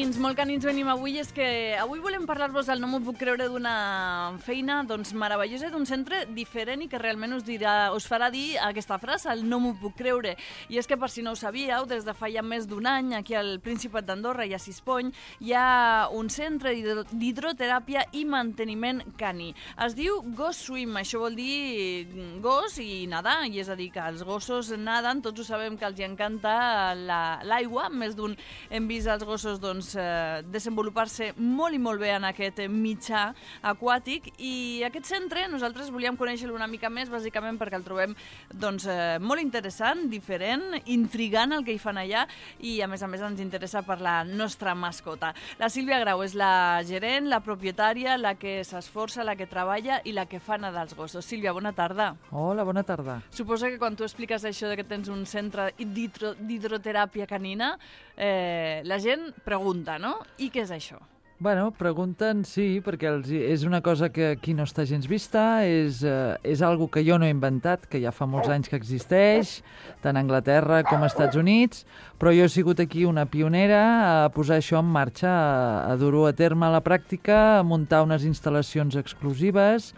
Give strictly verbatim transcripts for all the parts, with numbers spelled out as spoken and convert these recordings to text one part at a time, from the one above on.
canins, molt canins venim avui, és que avui volem parlar-vos del No m'ho puc creure d'una feina doncs, meravellosa d'un centre diferent i que realment us, dirà, us farà dir aquesta frase, el no m'ho puc creure. I és que, per si no ho sabíeu, des de fa ja més d'un any, aquí al Principat d'Andorra i a Sispony, hi ha un centre d'hidroteràpia i manteniment caní. Es diu Ghost Swim, això vol dir gos i nedar, i és a dir, que els gossos naden, tots ho sabem que els hi encanta l'aigua, la, més d'un hem vist els gossos doncs, eh, desenvolupar-se molt i molt bé en aquest mitjà aquàtic, i aquest centre nosaltres volíem conèixer-lo una mica més, bàsicament perquè el trobem doncs, eh, molt interessant, diferent, intrigant el que hi fan allà, i a més a més ens interessa per la nostra mascota. La Sílvia Grau és la gerent, la propietària, la que s'esforça, la que treballa i la que fa nedar els gossos. Sílvia, bona tarda. Hola, bona tarda. Suposo que quan tu expliques això de que tens un centre d'hidroteràpia canina, eh, la gent pregunta, no? I què és això? Bueno, pregunten, sí, perquè els, és una cosa que aquí no està gens vista, és, eh, és algo que jo no he inventat, que ja fa molts anys que existeix, tant a Anglaterra com als Estats Units, però jo he sigut aquí una pionera a posar això en marxa, a, a dur-ho a terme a la pràctica, a muntar unes instal·lacions exclusives,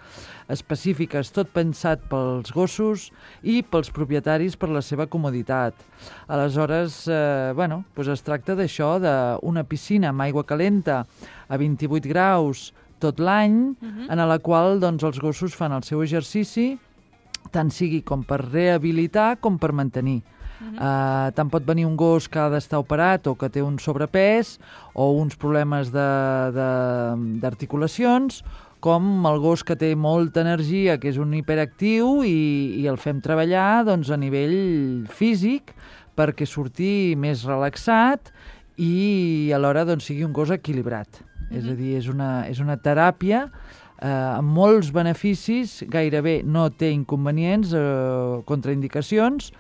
específiques, tot pensat pels gossos i pels propietaris per la seva comoditat. Aleshores, eh, bueno, doncs es tracta d'això, d'una piscina amb aigua calenta a vint-i-vuit graus tot l'any, uh-huh. en la qual doncs, els gossos fan el seu exercici, tant sigui com per rehabilitar com per mantenir. Uh-huh. Uh, tant pot venir un gos que ha d'estar operat o que té un sobrepès o uns problemes d'articulacions, com el gos que té molta energia, que és un hiperactiu, i, i el fem treballar doncs, a nivell físic perquè surti més relaxat i alhora doncs, sigui un gos equilibrat. Mm-hmm. És a dir, és una, és una teràpia eh, amb molts beneficis, gairebé no té inconvenients, eh, contraindicacions,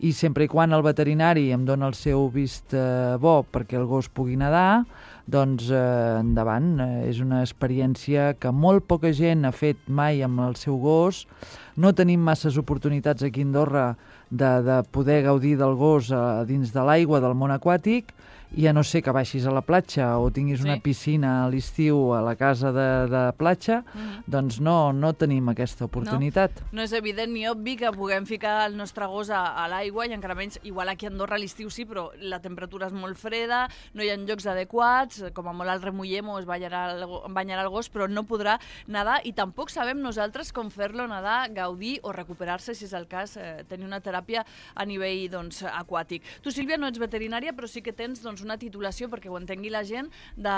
i sempre i quan el veterinari em dona el seu vist eh, bo perquè el gos pugui nedar, doncs eh, endavant. Eh, és una experiència que molt poca gent ha fet mai amb el seu gos. No tenim masses oportunitats aquí a Andorra de, de poder gaudir del gos a dins de l'aigua del món aquàtic, i a no ser que baixis a la platja o tinguis sí. una piscina a l'estiu a la casa de, de platja, mm-hmm. doncs no, no tenim aquesta oportunitat. No, no és evident ni obvi que puguem ficar el nostre gos a, a l'aigua, i encara menys, igual aquí a Andorra a l'estiu sí, però la temperatura és molt freda, no hi ha llocs adequats, com a molt el remullem o es banyarà el, banyarà el gos, però no podrà nedar, i tampoc sabem nosaltres com fer-lo nedar, gaudir o recuperar-se, si és el cas, eh, tenir una teràpia a nivell doncs, aquàtic. Tu, Sílvia, no ets veterinària, però sí que tens doncs, una titulació, perquè ho entengui la gent, de...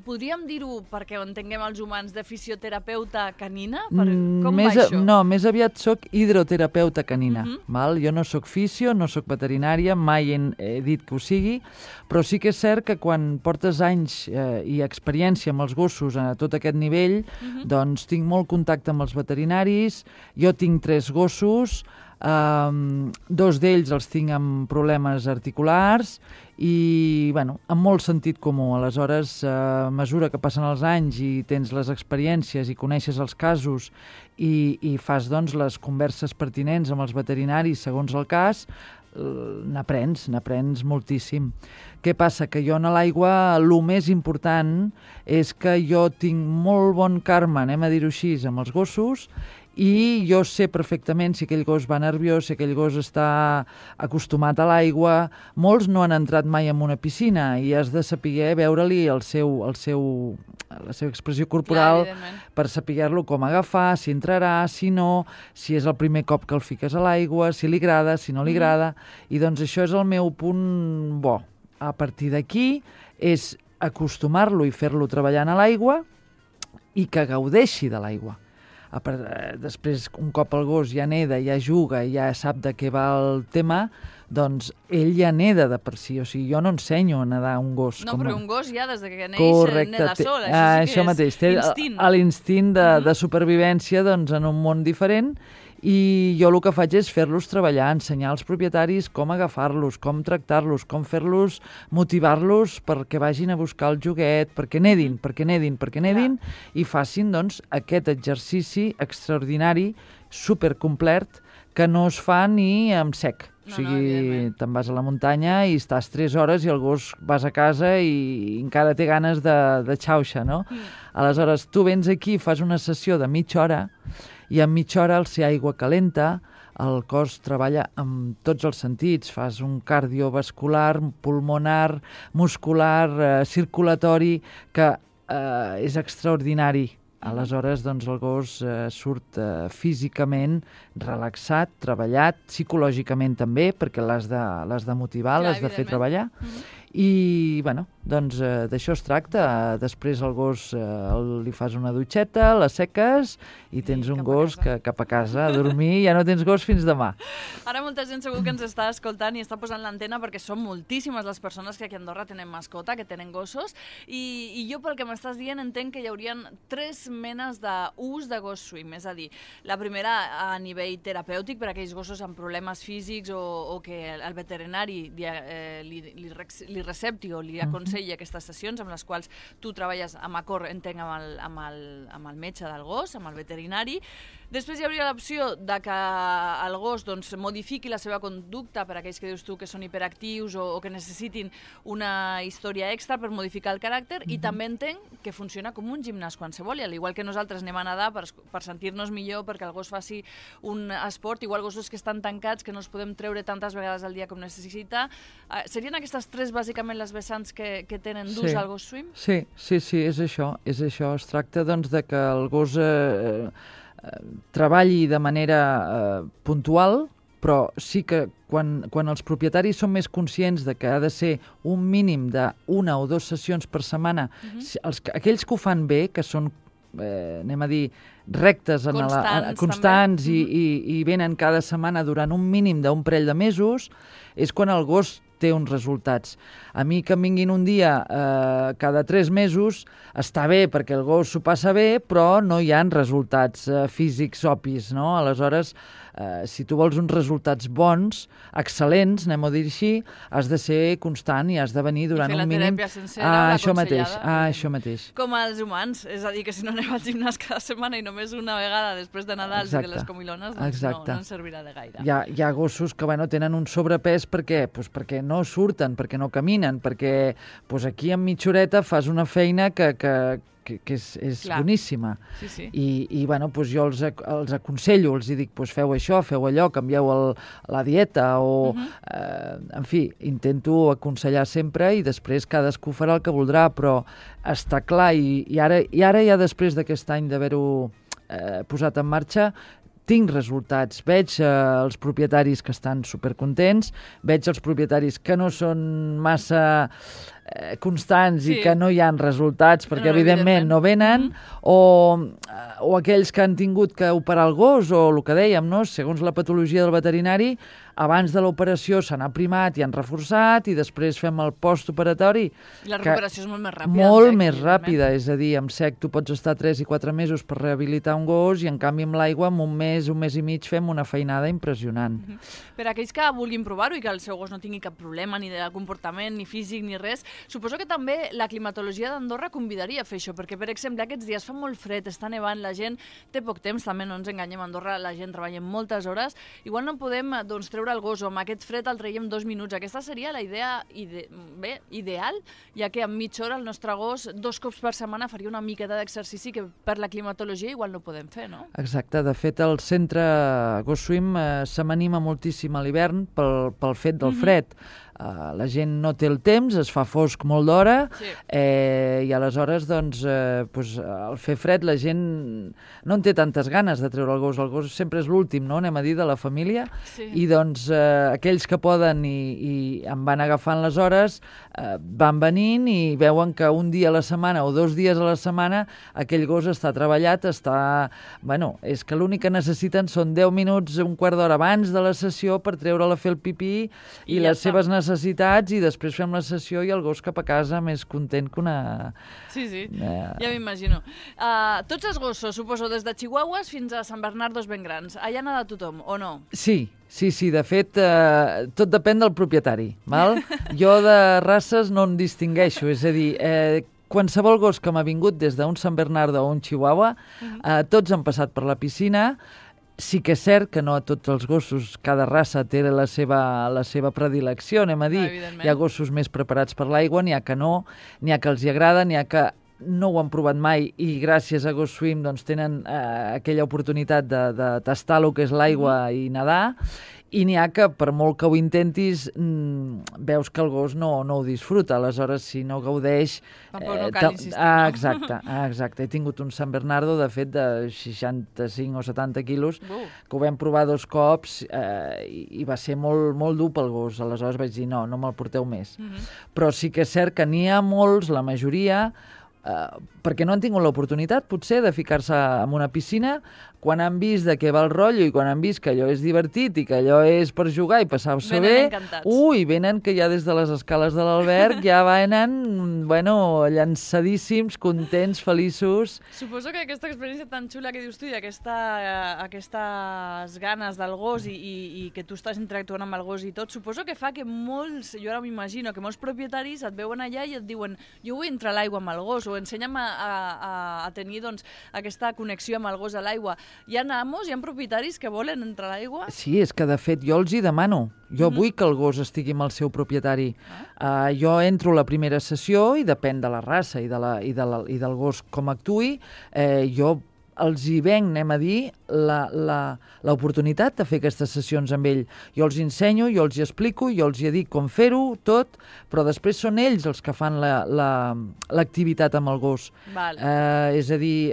podríem dir-ho, perquè ho entenguem els humans, de fisioterapeuta canina? Per... Com més, va això? No, més aviat soc hidroterapeuta canina. Uh-huh. Val? Jo no soc fisio, no soc veterinària, mai he, he dit que ho sigui, però sí que és cert que quan portes anys eh, i experiència amb els gossos a tot aquest nivell, uh-huh. doncs tinc molt contacte amb els veterinaris, jo tinc tres gossos, Um, dos d'ells els tinc amb problemes articulars i, bueno, amb molt sentit comú. Aleshores, a mesura que passen els anys i tens les experiències i coneixes els casos i, i fas, doncs, les converses pertinents amb els veterinaris segons el cas, n'aprens, n'aprens moltíssim. Què passa? Que jo a l'aigua el més important és que jo tinc molt bon karma, anem a dir-ho així, amb els gossos, i jo sé perfectament si aquell gos va nerviós, si aquell gos està acostumat a l'aigua. Molts no han entrat mai en una piscina i has de saber veure-li el seu, el seu, la seva expressió corporal. Clar, per saber-lo com agafar, si entrarà, si no, si és el primer cop que el fiques a l'aigua, si li agrada, si no li agrada. Mm. I doncs això és el meu punt bo. A partir d'aquí és acostumar-lo i fer-lo treballant a l'aigua i que gaudeixi de l'aigua. Després, un cop el gos ja neda, ja juga, ja sap de què va el tema, doncs ell ja neda de per si. O sigui, jo no ensenyo a nedar un gos. No, com... però un gos ja, des que neix, Correcte, neda sol. Això, això sí això que mateix, és té instint. L'instint de, uh-huh. de supervivència doncs, en un món diferent, I jo el que faig és fer-los treballar, ensenyar als propietaris com agafar-los, com tractar-los, com fer-los, motivar-los perquè vagin a buscar el joguet, perquè nedin, perquè nedin, perquè nedin, i facin doncs, aquest exercici extraordinari, supercomplet, que no es fa ni amb sec. No, o sigui, no, te'n vas a la muntanya i estàs tres hores i el gos vas a casa i encara té ganes de, de xauxa, no? Mm. Aleshores, tu vens aquí, fas una sessió de mitja hora i en mitja hora, al ser aigua calenta, el cos treballa amb tots els sentits. Fas un cardiovascular, pulmonar, muscular, eh, circulatori, que eh, és extraordinari. Aleshores, doncs, el gos eh, surt eh, físicament relaxat, treballat, psicològicament també, perquè l'has de, l'has de motivar, l'has de fer treballar. Mm-hmm. I, bueno, doncs eh, d'això es tracta. Després el gos eh, el, li fas una dutxeta, la seques i tens I un gos que cap a casa a dormir, ja no tens gos fins demà. Ara molta gent segur que ens està escoltant i està posant l'antena perquè són moltíssimes les persones que aquí a Andorra tenen mascota, que tenen gossos, i, i jo pel que m'estàs dient entenc que hi haurien tres menes d'ús de gos swim, és a dir, la primera a nivell terapèutic per a aquells gossos amb problemes físics o, o que el veterinari eh, li, li, li recepti o li aconselli aquestes sessions amb les quals tu treballes amb acord, entenc, amb el, amb el, amb el metge del gos, amb el veterinari. Després hi hauria l'opció de que el gos doncs, modifiqui la seva conducta per a aquells que dius tu que són hiperactius o, o que necessitin una història extra per modificar el caràcter, mm-hmm. i també entenc que funciona com un gimnàs qualsevol, i al igual que nosaltres anem a nedar per, per sentir-nos millor, perquè el gos faci un esport, igual gossos que estan tancats, que no els podem treure tantes vegades al dia com necessita. Uh, serien aquestes tres bàsicament les vessants que, que tenen d'ús sí. al gos swim? Sí, sí, sí, és això, és això. Es tracta doncs de que el gos eh, eh, treballi de manera eh, puntual, però sí que quan, quan els propietaris són més conscients de que ha de ser un mínim d'una o dues sessions per setmana, uh-huh. els, aquells que ho fan bé, que són, eh, anem a dir, rectes, en constants, la, constants i, i, i venen cada setmana durant un mínim d'un parell de mesos, és quan el gos té uns resultats. A mi que em vinguin un dia eh, cada tres mesos està bé perquè el gos s'ho passa bé, però no hi ha resultats eh, físics obvis, no? Aleshores, eh, si tu vols uns resultats bons, excel·lents, anem a dir així, has de ser constant i has de venir durant un mínim... I fer la teràpia sencera, ah, la això mateix, aconsellada. ah, això mateix. Com els humans, és a dir, que si no anem al gimnàs cada setmana i només una vegada després de Nadal i de les comilones, doncs no, no ens servirà de gaire. Hi ha, hi ha gossos que bueno, tenen un sobrepès per què? Pues perquè no surten, perquè no caminen, perquè pues aquí en mitja horeta fas una feina que, que, que, que és, és boníssima. Sí, sí. I, i bueno, pues jo els, els aconsello, els dic, pues feu això, feu allò, canvieu el, la dieta, o, uh-huh. eh, en fi, intento aconsellar sempre i després cadascú farà el que voldrà, però està clar, i, i, ara, i ara ja després d'aquest any d'haver-ho eh, posat en marxa, tinc resultats, veig eh, els propietaris que estan supercontents, veig els propietaris que no són massa eh, constants sí. i que no hi ha resultats perquè, no, evidentment, evidentment, no venen, mm-hmm. o, o aquells que han tingut que operar el gos, o el que dèiem, no? Segons la patologia del veterinari, abans de l'operació se n'ha primat i han reforçat i després fem el postoperatori. I la recuperació és molt més ràpida. Molt més ràpida, és a dir, amb sec tu pots estar tres i quatre mesos per rehabilitar un gos i en canvi amb l'aigua en un mes, un mes i mig fem una feinada impressionant. Mm-hmm. Per a aquells que vulguin provar-ho i que el seu gos no tingui cap problema ni de comportament, ni físic, ni res, suposo que també la climatologia d'Andorra convidaria a fer això, perquè per exemple aquests dies fa molt fred, està nevant, la gent té poc temps, també no ens enganyem, a Andorra la gent treballa moltes hores, igual no podem doncs, treure el gos o amb aquest fred el traiem dos minuts. Aquesta seria la idea ide bé, ideal, ja que en mitja hora el nostre gos dos cops per setmana faria una miqueta d'exercici que per la climatologia igual no podem fer, no? Exacte. De fet, el centre Gos Swim eh, se m'anima moltíssim a l'hivern pel, pel fet del fred. Mm-hmm. Uh, la gent no té el temps, es fa fosc molt d'hora, sí. eh, i aleshores doncs, eh, pues, al fer fred la gent no en té tantes ganes de treure el gos. El gos sempre és l'últim, no? Anem a dir, de la família, sí. I doncs eh, aquells que poden i, i en van agafant les hores eh, van venint i veuen que un dia a la setmana o dos dies a la setmana aquell gos està treballat, està... Bueno, és que l'únic que necessiten són deu minuts, un quart d'hora abans de la sessió per treure-la a fer el pipí i, i les ja seves necessitats necessitats i després fem la sessió i el gos cap a casa més content que una... Sí, sí, uh... ja m'imagino. Uh, tots els gossos, suposo, des de chihuahuas fins a Sant Bernardos ben grans, allà n'ha de tothom, o no? Sí, sí, sí, de fet, eh, tot depèn del propietari, val? Jo de races no en distingueixo, és a dir, eh, qualsevol gos que m'ha vingut des d'un Sant Bernardo o un chihuahua, eh, tots han passat per la piscina. Sí que és cert que no a tots els gossos, cada raça té la seva, la seva predilecció, anem a dir. No, hi ha gossos més preparats per l'aigua, n'hi ha que no, n'hi ha que els hi agrada, n'hi ha que no ho han provat mai i gràcies a Ghost Swim doncs, tenen eh, aquella oportunitat de, de tastar el que és l'aigua mm-hmm. i nedar, i n'hi ha que per molt que ho intentis mmm, veus que el gos no, no ho disfruta, aleshores si no gaudeix... Tampoc no cal insistir, ah, no? exacte, ah, exacte. He tingut un Sant Bernardo, de fet, de seixanta-cinc o setanta quilos, uh. que ho vam provar dos cops eh, i, i va ser molt, molt dur pel gos, aleshores vaig dir no, no me'l porteu més. Mm-hmm. Però sí que és cert que n'hi ha molts, la majoria, Uh, perquè no han tingut l'oportunitat, potser, de ficar-se en una piscina quan han vist de què va el rotllo i quan han vist que allò és divertit i que allò és per jugar i passar-se bé. Encantats. Ui, venen que ja des de les escales de l'alberg ja venen, bueno, llançadíssims, contents, feliços. Suposo que aquesta experiència tan xula que dius tu i aquesta, uh, aquestes ganes del gos i, i, i que tu estàs interactuant amb el gos i tot, suposo que fa que molts, jo ara m'imagino, que molts propietaris et veuen allà i et diuen jo vull entrar a l'aigua amb el gos o ensenya'm a, a, a tenir doncs, aquesta connexió amb el gos a l'aigua. Hi ha amos, hi ha propietaris que volen entrar a l'aigua? Sí, és que de fet jo els hi demano. Jo mm-hmm. vull que el gos estigui amb el seu propietari. Ah. Uh, jo entro a la primera sessió i depèn de la raça i, de la, i, de la, i del gos com actuï. Eh, jo els hi venc, anem a dir, l'oportunitat de fer aquestes sessions amb ell. Jo els ensenyo, jo els hi explico, jo els hi dic com fer-ho, tot, però després són ells els que fan l'activitat la, la, amb el gos. Vale. Eh, és a dir,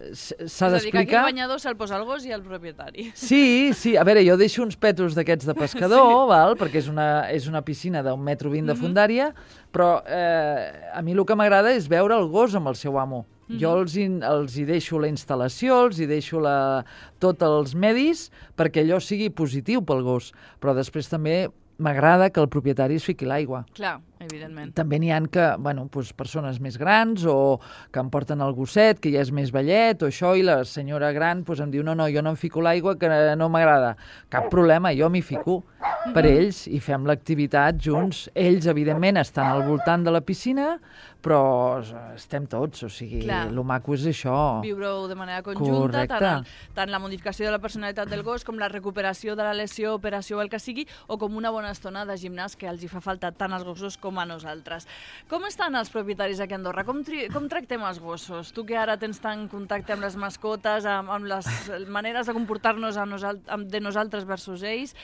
s'ha d'explicar... És a dir, que aquí el banyador se'l posa el gos i el propietari. Sí, sí. A veure, jo deixo uns petos d'aquests de pescador, sí. val? Perquè és una, és una piscina d'un metro vint de fundària, mm-hmm. però eh, a mi el que m'agrada és veure el gos amb el seu amo. Mm-hmm. Jo els hi, els hi deixo la instal·lació, els hi deixo la, tots els medis perquè allò sigui positiu pel gos, però després també m'agrada que el propietari es fiqui l'aigua. Clar, evidentment. També n'hi ha que, bueno, doncs, persones més grans o que em porten el gosset, que ja és més vellet o això, i la senyora gran doncs, em diu no, no, jo no em fico l'aigua, que no m'agrada. Cap problema, jo m'hi fico per ells i fem l'activitat junts. Ells, evidentment, estan al voltant de la piscina, però estem tots, o sigui, el maco és això. Viure-ho de manera conjunta, tant, tant la modificació de la personalitat del gos com la recuperació de la lesió, operació o el que sigui, o com una bona estona de gimnàs que els hi fa falta tant als gossos com a nosaltres. Com estan els propietaris aquí a Andorra? Com, tri com tractem els gossos? Tu que ara tens tant contacte amb les mascotes, amb, amb les maneres de comportar-nos nosal de nosaltres versus ells,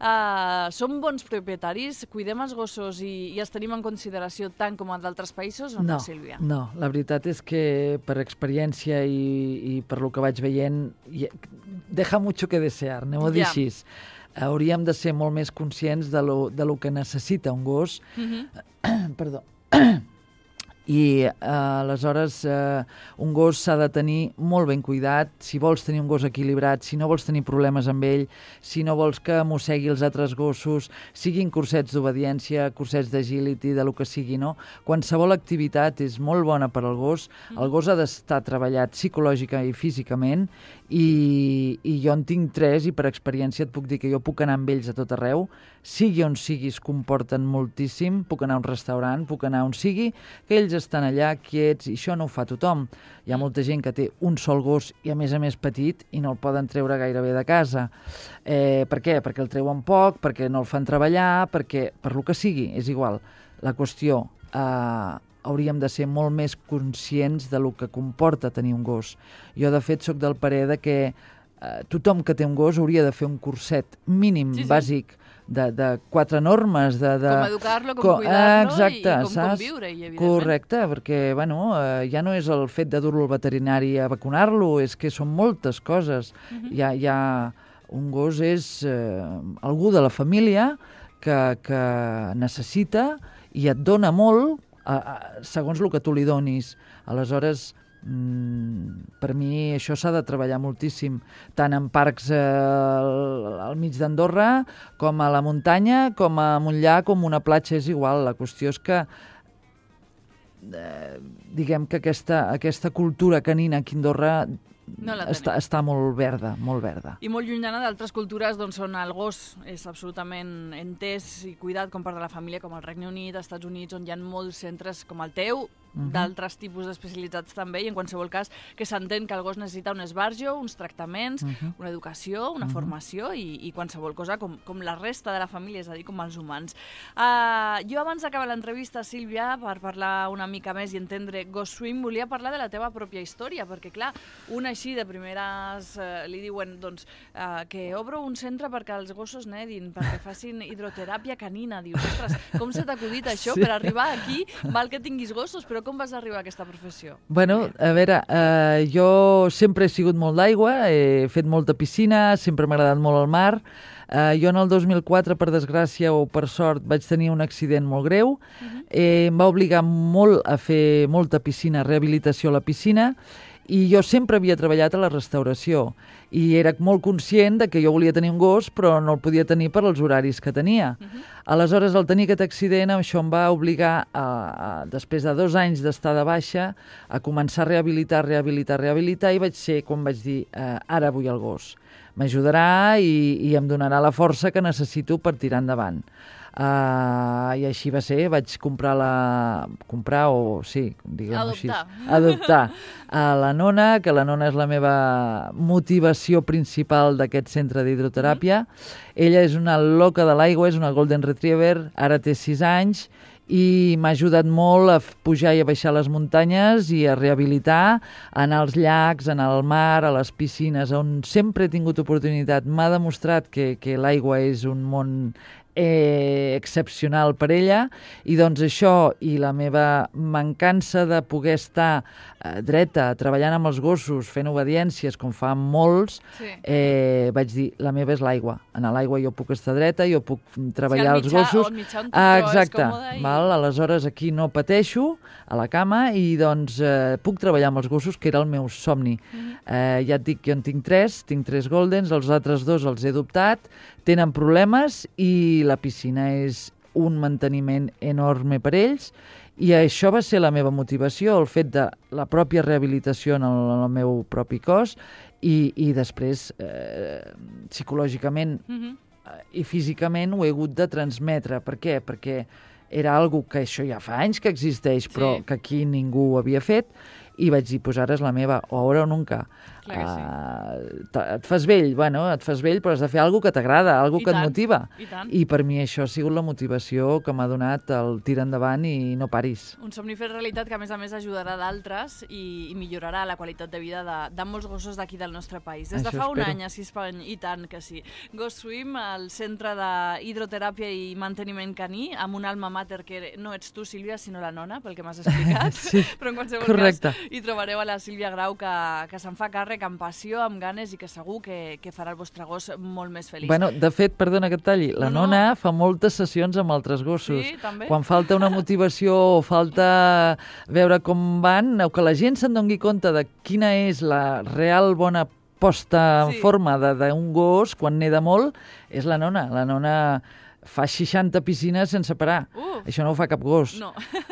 Uh, som bons propietaris? Cuidem els gossos i, i els tenim en consideració tant com a d'altres països o no, no, Sílvia? No, la veritat és que per experiència i, i per lo que vaig veient, deja mucho que desear, anem a dir així. Hauríem de ser molt més conscients de lo, de lo que necessita un gos. Mm-hmm. Perdó. I eh, aleshores eh, un gos s'ha de tenir molt ben cuidat. Si vols tenir un gos equilibrat, si no vols tenir problemes amb ell, si no vols que mossegui els altres gossos, siguin cursets d'obediència, cursets d'agility, de lo que sigui, no? Qualsevol activitat és molt bona per al gos. El gos ha d'estar treballat psicològica i físicament i, i jo en tinc tres i per experiència et puc dir que jo puc anar amb ells a tot arreu, sigui on sigui es comporten moltíssim, puc anar a un restaurant, puc anar on sigui, que ells estan allà quiets i això no ho fa tothom. Hi ha molta gent que té un sol gos i a més a més petit i no el poden treure gairebé de casa. Eh, per què? Perquè el treuen poc, perquè no el fan treballar, perquè per lo que sigui, és igual. La qüestió, eh, hauríem de ser molt més conscients de lo que comporta tenir un gos. Jo, de fet, sóc del parer de que eh, tothom que té un gos hauria de fer un curset mínim, sí, sí. bàsic, de, de quatre normes. De, de... Com educar-lo, com, com cuidar-lo exacte, i com saps? conviure, i evidentment. Correcte, perquè bueno, eh, ja no és el fet de dur-lo al veterinari a vacunar-lo, és que són moltes coses. Uh-huh. hi, ha, hi ha... Un gos és eh, algú de la família que, que necessita i et dona molt a, a, segons el que tu li donis. Aleshores, Mm, per mi això s'ha de treballar moltíssim, tant en parcs eh, al, al mig d'Andorra, com a la muntanya, com a un llac, com una platja, és igual. La qüestió és que eh, diguem que aquesta, aquesta cultura canina aquí a Andorra No la està, està molt verda, molt verda. I molt llunyana d'altres cultures doncs, on el gos és absolutament entès i cuidat com part de la família, com el Regne Unit, als Estats Units, on hi ha molts centres com el teu, uh-huh. d'altres tipus d'especialitats també, i en qualsevol cas que s'entén que el gos necessita un esbarjo, uns tractaments, uh-huh. una educació, una uh-huh. formació i, i qualsevol cosa com, com la resta de la família, és a dir, com els humans. Uh, jo abans d'acabar l'entrevista, Sílvia, per parlar una mica més i entendre Ghost Swim, volia parlar de la teva pròpia història, perquè clar, una així de primeres uh, li diuen doncs, uh, que obro un centre perquè els gossos nedin, perquè facin hidroteràpia canina. Dius, ostres, com se t'ha acudit això? Sí. Per arribar aquí, val que tinguis gossos, però com vas arribar a aquesta professió? Bueno, a veure, uh, jo sempre he sigut molt d'aigua, he fet molta piscina, sempre m'ha agradat molt el mar. Uh, jo en el dos mil quatre, per desgràcia o per sort, vaig tenir un accident molt greu. Uh-huh. eh, em va obligar molt a fer molta piscina, rehabilitació a la piscina, i jo sempre havia treballat a la restauració i era molt conscient de que jo volia tenir un gos però no el podia tenir per als horaris que tenia. Uh-huh. Aleshores, al tenir aquest accident, això em va obligar, a, a, després de dos anys d'estar de baixa, a començar a rehabilitar, rehabilitar, rehabilitar, i vaig ser quan vaig dir, eh, ara vull el gos. M'ajudarà i, i em donarà la força que necessito per tirar endavant. Uh, I així va ser, vaig comprar la... comprar o, sí, diguem-ho així. Adoptar. Adoptar a la Nona, que la Nona és la meva motivació principal d'aquest centre d'hidroteràpia. Mm-hmm. Ella és una loca de l'aigua, és una Golden Retriever, ara té sis anys, i m'ha ajudat molt a pujar i a baixar les muntanyes i a rehabilitar, a anar als llacs, a anar al mar, a les piscines, on sempre he tingut oportunitat. M'ha demostrat que, que l'aigua és un món eh, excepcional per ella, i doncs això i la meva mancança de poder estar eh, dreta, treballant amb els gossos, fent obediències, com fan molts, sí. eh, vaig dir, la meva és l'aigua. En l'aigua jo puc estar dreta, jo puc treballar sí, el mitjà, els gossos. El mitjà on ah, exacte. I... Val? Aleshores aquí no pateixo a la cama i doncs eh, puc treballar amb els gossos, que era el meu somni. Mm-hmm. eh, ja et dic, jo en tinc tres, tinc tres Goldens, els altres dos els he adoptat, tenen problemes i la piscina és un manteniment enorme per ells, i això va ser la meva motivació, el fet de la pròpia rehabilitació en el, en el meu propi cos i, i després eh, psicològicament mm-hmm. i físicament ho he hagut de transmetre. Per què? Perquè era algo que això ja fa anys que existeix, sí. però que aquí ningú ho havia fet, i vaig dir, pues ara és la meva, o ara o nunca. Clar que sí. Uh, et fas vell, bueno, et fas vell, però has de fer alguna que t'agrada, alguna que tant, et motiva. I tant. I per mi això ha sigut la motivació que m'ha donat el tir endavant i no paris. Un somni fet realitat que, a més a més, ajudarà d'altres i, i millorarà la qualitat de vida de, de molts gossos d'aquí del nostre país. Des de això fa espero. un any, a Sispany, i tant que sí. Ghost Swim, el centre d'hidroteràpia i manteniment caní, amb un alma mater que no ets tu, Sílvia, sinó la Nona, pel que m'has explicat. Sí, però en qualsevol correcte. cas hi trobareu a la Sílvia Grau, que, que se'n fa càrrec amb passió, amb ganes, i que segur que, que farà el vostre gos molt més feliç. Bueno, de fet, perdona que et talli, la no, Nona no. fa moltes sessions amb altres gossos. Sí, també? Quan falta una motivació o falta veure com van, o que la gent se'n doni compte de quina és la real bona posta en sí. forma d'un gos quan neda molt, és la Nona. La Nona fa seixanta piscines sense parar. Uh, Això no ho fa cap gos. No.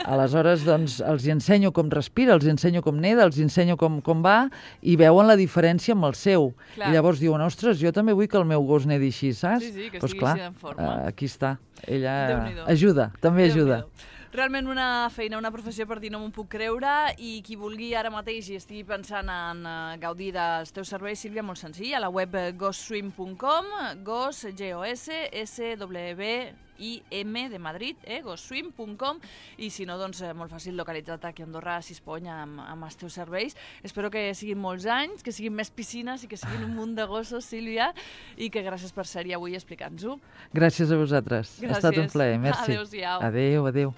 Aleshores, doncs, els hi ensenyo com respira, els hi ensenyo com neda, els hi ensenyo com, com va, i veuen la diferència amb el seu. Clar. I llavors diuen, ostres, jo també vull que el meu gos nedi així, saps? Sí, sí, que pues estigui clar, així en forma. Uh, aquí està. Ella Déu-n'hi-do. ajuda, també ajuda. Realment una feina, una professió per dir no m'ho puc creure, i qui vulgui ara mateix i estigui pensant en uh, gaudir dels teus serveis, Sílvia, molt senzill, a la web ghost swim punt com, gos, G O S, S W I M de Madrid, eh, ghost swim punt com, i si no, doncs molt fàcil localitzat aquí a Andorra, a Sispony, amb, amb els teus serveis. Espero que siguin molts anys, que siguin més piscines i que siguin un munt de gossos, Sílvia, i que gràcies per ser-hi avui explicant-nos-ho. Gràcies a vosaltres. Gràcies. Ha estat un plaer, merci. Adéu-siau. Adéu, adéu.